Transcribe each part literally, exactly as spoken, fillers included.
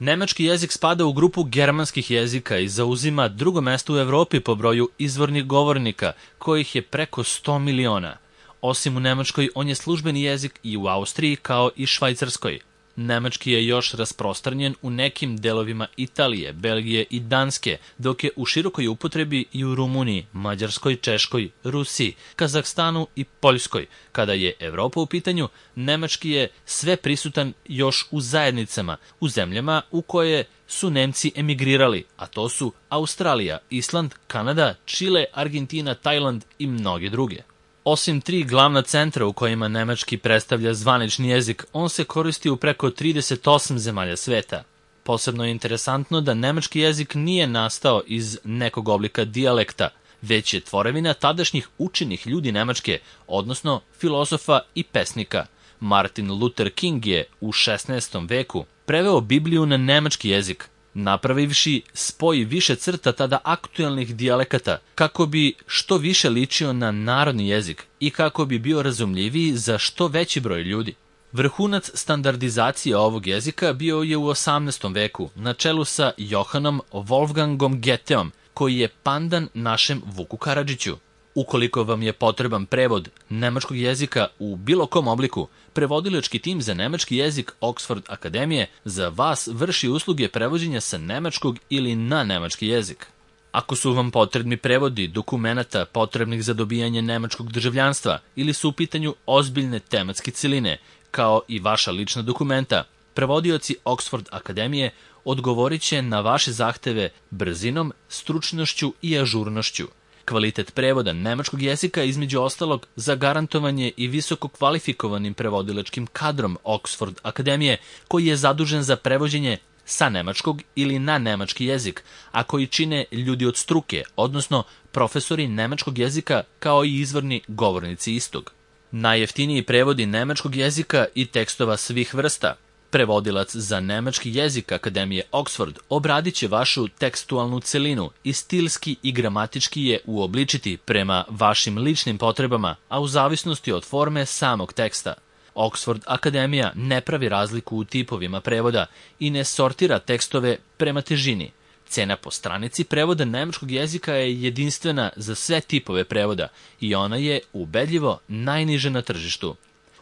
Nemački jezik spada u grupu germanskih jezika i zauzima drugo mesto u Evropi po broju izvornih govornika, kojih je preko sto miliona. Osim u Nemačkoj, on je službeni jezik i u Austriji kao i Švajcarskoj. Nemački je još rasprostranjen u nekim delovima Italije, Belgije i Danske, dok je u širokoj upotrebi i u Rumuniji, Mađarskoj, Češkoj, Rusiji, Kazahstanu i Poljskoj. Kada je Evropa u pitanju, nemački je sve prisutan još u zajednicama, u zemljama u koje su Nemci emigrirali, a to su Australija, Island, Kanada, Čile, Argentina, Tajland i mnoge druge. Osim tri glavna centra u kojima nemački predstavlja zvanični jezik, on se koristi u preko trideset osam zemalja sveta. Posebno je interesantno da nemački jezik nije nastao iz nekog oblika dijalekta, već je tvorevina tadašnjih učenih ljudi Nemačke, odnosno filozofa i pesnika. Martin Luther King je u šesnaestom veku preveo Bibliju na nemački jezik, napravivši spoj više crta tada aktuelnih dijalekata, kako bi što više ličio na narodni jezik i kako bi bio razumljiviji za što veći broj ljudi. Vrhunac standardizacije ovog jezika bio je u osamnaestom veku, na čelu sa Johannom Wolfgangom Goetheom, koji je pandan našem Vuku Karadžiću. Ukoliko vam je potreban prevod nemačkog jezika u bilo kom obliku, prevodilački tim za nemački jezik Oxford Akademije za vas vrši usluge prevođenja sa nemačkog ili na nemački jezik. Ako su vam potrebni prevodi dokumenata potrebnih za dobijanje nemačkog državljanstva ili su u pitanju ozbiljne tematske celine, kao i vaša lična dokumenta, prevodioci Oxford Akademije odgovorit će na vaše zahteve brzinom, stručnošću i ažurnošću. Kvalitet prevoda nemačkog jezika između ostalog zagarantovan je i visoko kvalifikovanim prevodilačkim kadrom Oxford Akademije, koji je zadužen za prevođenje sa nemačkog ili na nemački jezik, a koji čine ljudi od struke, odnosno profesori nemačkog jezika kao i izvorni govornici istog. Najjeftiniji prevodi nemačkog jezika i tekstova svih vrsta. Prevodilac za nemački jezik Akademije Oxford obradit će vašu tekstualnu celinu i stilski i gramatički je uobličiti prema vašim ličnim potrebama, a u zavisnosti od forme samog teksta. Oxford Akademija ne pravi razliku u tipovima prevoda i ne sortira tekstove prema težini. Cena po stranici prevoda nemačkog jezika je jedinstvena za sve tipove prevoda i ona je ubedljivo najniža na tržištu.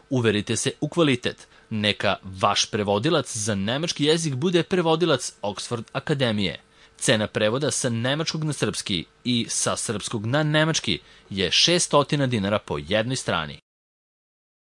Uverite se u kvalitet. Neka vaš prevodilac za nemački jezik bude prevodilac Oxford Akademije. Cena prevoda sa nemačkog na srpski i sa srpskog na nemački je šessto dinara po jednoj strani.